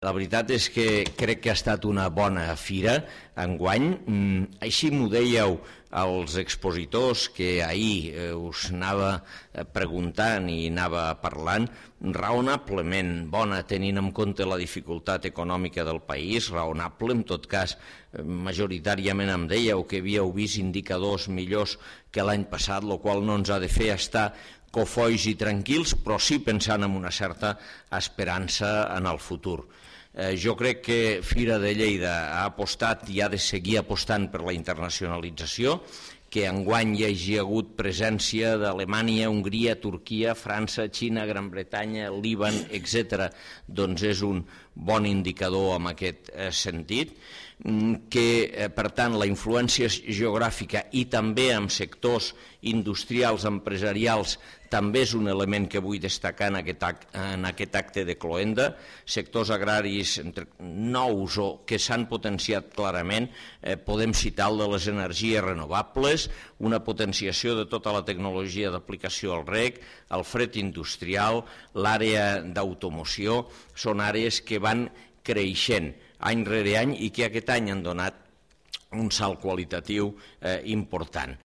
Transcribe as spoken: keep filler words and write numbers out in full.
La veritat és que crec que ha estat una bona fira enguany. Així m'ho dèieu als expositors que ahir us anava preguntant i anava parlant, raonablement bona tenint en compte la dificultat econòmica del país, raonable, en tot cas majoritàriament em dèieu que havíeu vist indicadors millors que l'any passat, el qual no ens ha de fer estar cofois i tranquils, però sí pensant en una certa esperança en el futur. Eh, jo crec que Fira de Lleida ha apostat i ha de seguir apostant per la internacionalització, que enguany hi hagi hagut presència d'Alemanya, Hongria, Turquia, França, Xina, Gran Bretanya, Líban, etcètera. Doncs és un bon indicador en aquest eh, sentit, que eh, per tant la influència geogràfica i també en sectors industrials, empresarials, també és un element que vull destacar en aquest, en aquest acte de cloenda. Sectors agraris nous o que s'han potenciat clarament, eh, podem citar el de les energies renovables, una potenciació de tota la tecnologia d'aplicació al reg, el fred industrial, l'àrea d'automoció, són àrees que van creixent any rere any i que aquest any han donat un salt qualitatiu eh, important.